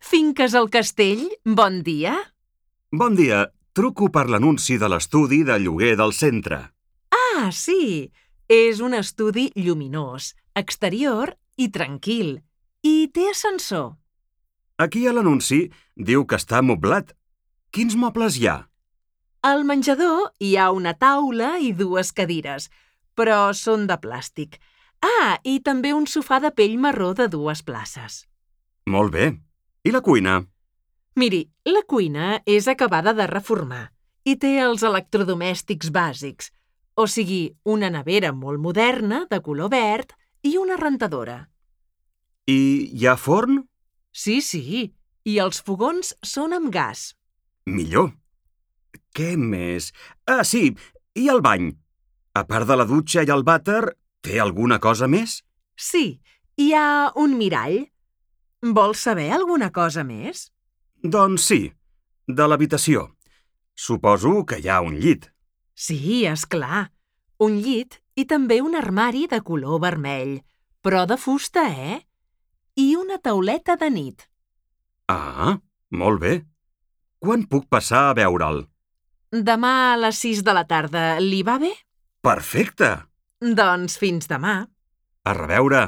Finques al Castell, bon dia. Bon dia, truco per l'anunci de l'estudi de lloguer del centre. Ah, sí, és un estudi lluminós, exterior i tranquil. I té ascensor. Aquí a l'anunci diu que està moblat. Quins mobles hi ha? Al menjador hi ha una taula i dues cadires, però són de plàstic. Ah, i també un sofà de pell marró de 2 places. Molt bé. I la cuina? Miri, la cuina és acabada de reformar i té els electrodomèstics bàsics, o sigui, una nevera molt moderna de color verd i una rentadora. I hi ha forn? Sí, i els fogons són amb gas. Millor. Què més? Ah, sí, i el bany? A part de la dutxa i el vàter, té alguna cosa més? Sí, hi ha un mirall. Vols saber alguna cosa més? Doncs sí, de l'habitació. Suposo que hi ha un llit. Sí, és clar. Un llit i també un armari de color vermell, però de fusta, eh? I una tauleta de nit. Ah, molt bé. Quan puc passar a veure'l? Demà a les 6 de la tarda, li va bé? Perfecte! Doncs fins demà. A reveure!